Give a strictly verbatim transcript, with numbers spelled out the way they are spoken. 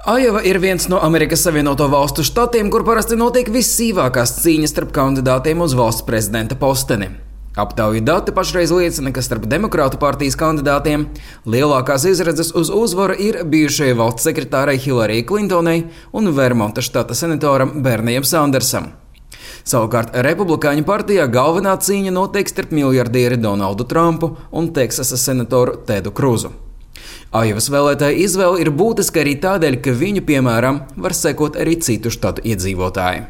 Ajova ir viens no Amerikas Savienoto Valstu štatiem, kur parasti notiek vissīvākās cīņas starp kandidātiem uz valsts prezidenta posteni. Aptauju dati pašreiz liecina, ka starp Demokrātu partijas kandidātiem lielākās izredzes uz uzvaru ir bijušajai valsts sekretārei Hillarijai Klintonai un Vermonta štata senatoram Bernijam Sandersam. Savukārt Republikāņu partijā galvenā cīņa notiek starp miljardieri Donaldu Trumpu un Teksasas senatoru Tedu Kruzu. Ajovas vēlētāju izvēle ir būtiska arī tādēļ, ka viņu, piemēram, var sekot arī citu štatu iedzīvotāji.